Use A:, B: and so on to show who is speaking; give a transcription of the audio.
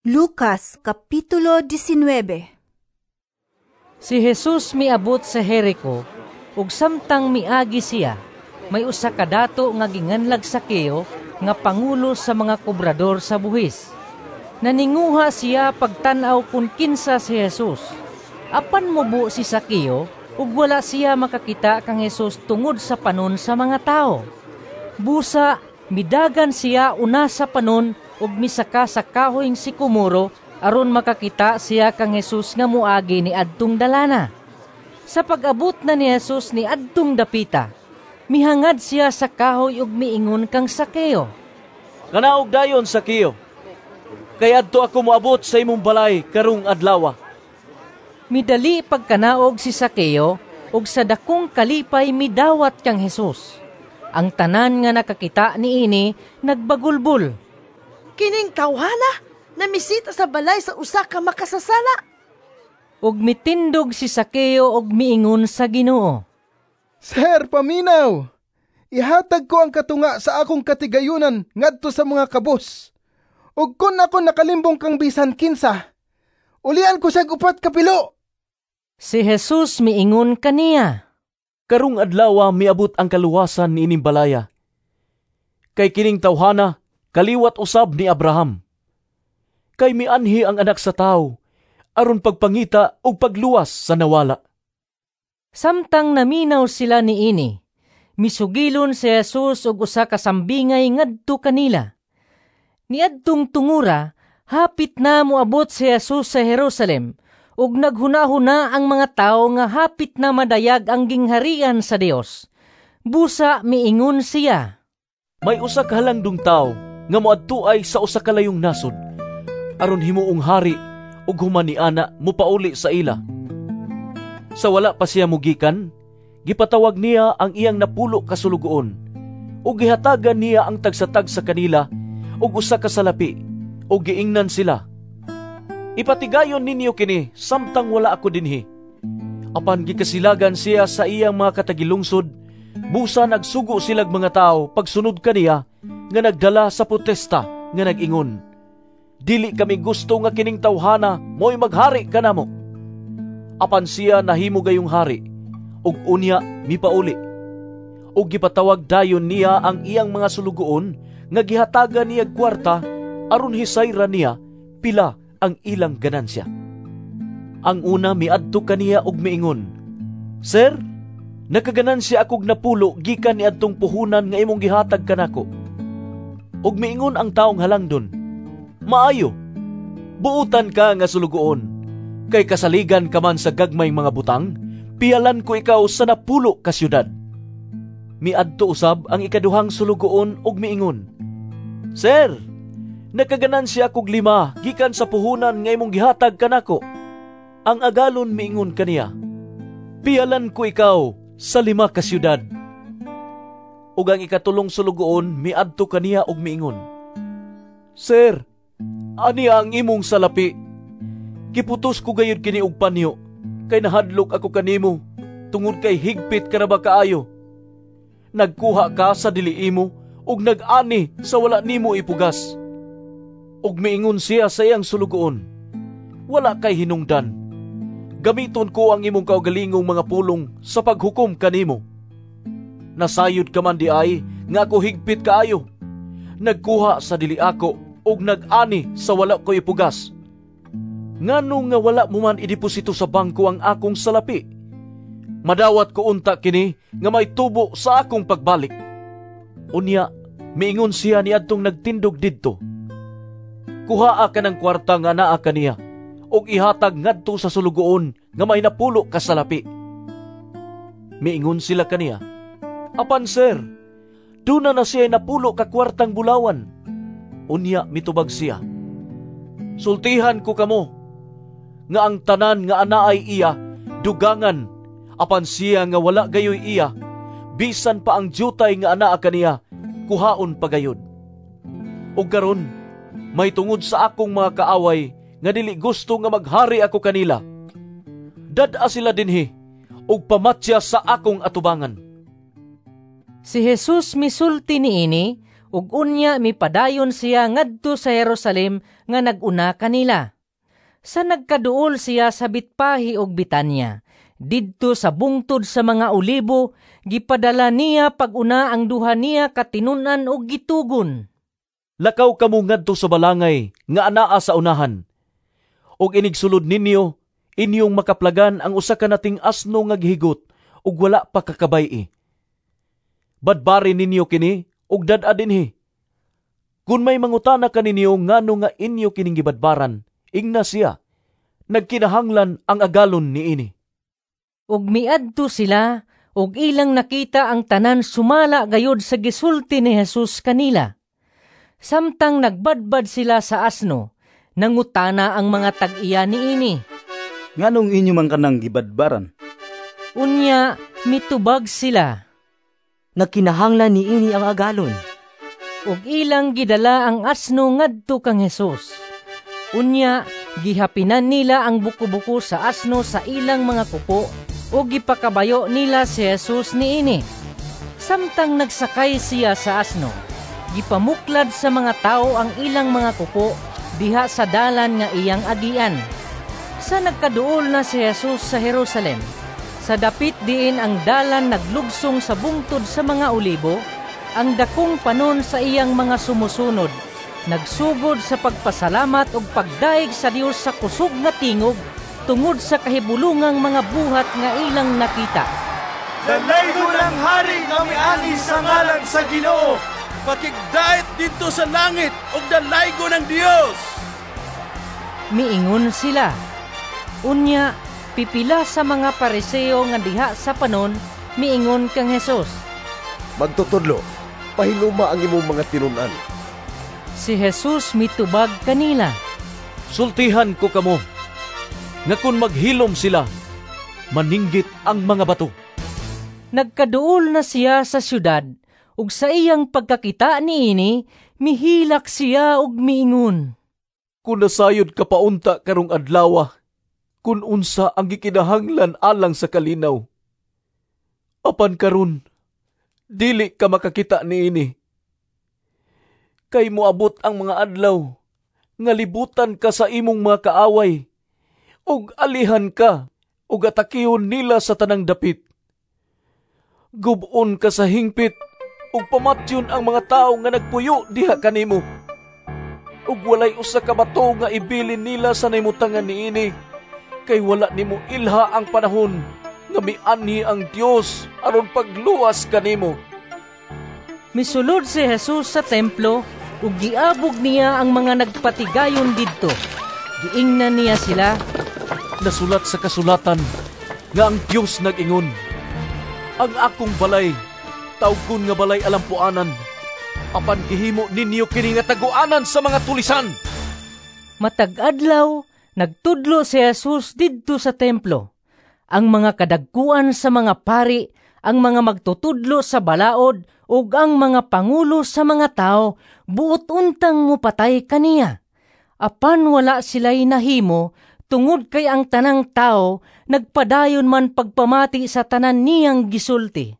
A: Lucas Kapitulo 19.
B: Si Jesus miabot sa Jericho, ug samtang miagi siya, may usa ka dato nga ginganlag Sakeo nga pangulo sa mga kobrador sa buhis. Naninguha siya pagtan-aw kun kinsa si Jesus. Apan mubo si Sakeo ug wala siya makakita kang Jesus tungod sa panon sa mga tawo. Busa midagan siya una sa panon ug misaka sa kahoyng sikomoro aron makakita siya kang Jesus nga moagi ni adtong dalana. Sa pag-abot na ni Jesus ni adtong dapita, mihangad siya sa kahoy ug miingon kang Sakeo,
C: "Kanaog dayon, Sakeo, kay adto ako moabot sa imong balay karong adlawa."
B: Midali pagkanaog si Sakeo ug sa dakong kalipay midawat kang Jesus. Ang tanan nga nakakita niini nagbagulbol.
D: "Kining tawhana namisita sa balay sa usa ka makasasala."
B: Ug mitindog si Sakeo og miingon sa Ginoo,
E: "Sir, paminaw! Ihatag ko ang katunga sa akong katigayunan ngadto sa mga kabos. Ug kun ako nakalimbong kang bisan kinsa, ulian ko siya upat ka pilo."
B: Si Jesus miingon kaniya,
C: "Karong adlawa miabot ang kaluwasan niining balaya. Kay kining tawhana kaliwat usab ni Abraham. Kay mianhi ang Anak sa Tawo aron pagpangita ug pagluwas sa nawala."
B: Samtang naminaw sila niini, misugilon si Jesus og usa ka sambingay ngadto kanila. Niadtong tungura, hapit na moabot si Jesus sa Jerusalem, ug naghunahuna ang mga tawo nga hapit na madayag ang gingharian sa Dios. Busa miingon siya,
C: "May usa ka halangdong tawo nga moadtuay sa usa ka layong nasod aron himuong hari ug human niana mopauli sa ila. Sa wala pa siya mugikan, gipatawag niya ang iyang 10 ka sulugoon ug gihatagan niya ang tagsa-tagsa kanila og usa ka salapi ug giingnan sila, 'Ipatigayon ninyo kini samtang wala ako dinhi.' Apan gikasilagan siya sa iyang mga katagilungsod, busa nagsugo silag mga tawo pagsunod kaniya nga nagdala sa protesta nga nag-ingon, 'Dili kami gusto nga kining tawhana mo'y maghari kanamo.' Apan siya nahimo gayong hari, ug unya mipauli. Ug gipatawag dayon niya ang iyang mga sulugoon nga gihatagan niya kwarta aron hisayra niya pila ang ilang ganansya. Ang una miadto kaniya og miingon, 'Sir, nakaganansya akog 10 gikan niadtong puhunan nga imong gihatag kanako.' Ug miingon ang taong halangdon, 'Maayo, buotan ka nga sulugoon, kay kasaligan ka man sa gagmay mga butang, piyalan ko ikaw sa 10 ka syudad.' Miadto usab ang ikaduhang sulugoon ug miingon, 'Sir, nakaganansya akog 5 gikan sa puhunan nga imong gihatag kanako.' Ang agalon miingon kaniya, 'Piyalan ko ikaw sa 5 ka syudad.' Ug ang ikatulong sulugoon miadto kaniya ug miingon, 'Sir, aniya ang imong salapi. Giputos ko gayud kini og panyo, kay nahadlok ako kanimo, tungod kay higpit ka na ba kaayo. Nagkuha ka sa dili imo ug nag-ani sa wala nimo ipugas.' Ug miingon siya sa iyang sulugoon, 'Wala kay hinungdan. Gamiton ko ang imong kaugalingong mga pulong sa paghukom kanimo. Nasayod ka man di ay nga ako higpit kaayo. Nagkuha sa dili ako ug nag-ani sa wala ko ipugas. Ngano nga wala mo man ideposito sa bangko ang akong salapi? Madawat ko unta kini nga may tubo sa akong pagbalik.' Unya, miingon siya niadtong nagtindog didto, 'Kuhaa ka ng kwarta nga naa kaniya ug ihatag ngadto sa sulugoon nga may 10 ka salapi.' Miingon sila kaniya, 'Apan sir, duna na siya 10 ka kwartang bulawan.' Unya mitubag siya, 'Sultihan ko kamo nga ang tanan nga anaay iya dugangan, apan siya nga wala gayoy iya, bisan pa ang dyutay nga anaa kaniya kuhaon pagayod. Ug karon may tungod sa akong mga kaaway nga dili gusto nga maghari ako kanila. Dad-a sila dinhi ug pamatya sa akong atubangan.'"
B: Si Jesus misulti niini Ug unya mipadayon siya ngadto sa Jerusalem nga nag-una kanila. Sa nagkaduol siya sa Betfahe ug Betania, didto sa bungtod sa mga Olibo, gipadala niya pag-una ang duha niya ka tinun-an ug gitugon.
C: "Lakaw kamo ngadto sa balangay nga anaa sa unahan. Ug inigsulod ninyo, inyong makaplagan ang usa ka nating asno nga gihigot ug wala pa kakabay-i. Badbari ninyo kini ug dad-a dinhi. Kun may mangutana kaninyo ngano nga inyo kining gibadbaran, ingna siya, 'Nagkinahanglan ang agalon niini.'"
B: Ug miadto sila ug ilang nakita ang tanan sumala gayud sa gisulti ni Jesus kanila. Samtang nagbadbad sila sa asno, nangutana ang mga tag-iya niini.
F: "Nganong inyo man kanang gibadbaran?"
B: Unya mitubag sila.
G: "Nagkinahanglan niini ang agalon."
B: Ug ilang gidala ang asno ngadto kang Hesus. Unya gihapinan nila ang buko-buko sa asno sa ilang mga kupo ug gipakabayo nila si Jesus niini. Samtang nagsakay siya sa asno, gipamuklad sa mga tawo ang ilang mga kupo diha sa dalan nga iyang agian. Sa nagkaduol na si Jesus sa Jerusalem, sa dapit diin ang dalan naglugsong sa bungtod sa mga Olibo, ang dakong panon sa iyang mga sumusunod nagsugod sa pagpasalamat ug pagdayeg sa Dios sa kusog nga tingog tungod sa kahibulungang mga buhat nga ilang nakita.
H: Dalaygon ang hari nga miani sa ngalan sa Ginoo.
I: Pakigdait didto sa langit ug dalaygon ang Dios.
B: Miingon sila. Unya pipila sa mga Pariseo nga diha sa panon miingon kang Hesus.
J: "Magtutudlo, pahiloma ang imong mga tinun-an."
B: Si Jesus mitubag kanila.
C: "Sultihan ko kamo, nga kun maghilom sila, maninggit ang mga bato."
B: Nagkaduol na siya sa syudad, ug sa iyang pagkakita niini, mihilak siya ug miingon.
C: "Kun nasayod ka paunta karong adlawa, kun unsa ang gikinahanglan alang sa kalinaw. Apan karon, dili ka makakita niini. Kay moabot ang mga adlaw nga libutan ka sa imong mga kaaway, ug alihan ka ug atakihon nila sa tanang dapit. Gub-on ka sa hingpit ug pamatyon ang mga tawo nga nagpuyo diha kanimo. Ug walay usa ka bato nga ibilin nila sa nahimutangan niini, kay wala nimo ilha ang panahon nga mianhi ang Dios aron pagluwas kanimo."
B: Misulod si Jesus sa templo ug giabog niya ang mga nagpatigayon didto. Giingnan niya sila,
C: "Nasulat sa kasulatan nga ang Dios nag-ingon, 'Ang akong balay tawgon nga balay alampuanan,' apan gihimo ninyo kini nga taguanan sa mga tulisan."
B: Matag adlaw nagtudlo si Jesus didto sa templo. Ang mga kadagkuan sa mga pari, ang mga magtutudlo sa balaod ug ang mga pangulo sa mga tao buot untang mopatay kaniya. Apan wala sila'y nahimo tungod kay ang tanang tao nagpadayon man pagpamati sa tanan niyang gisulti.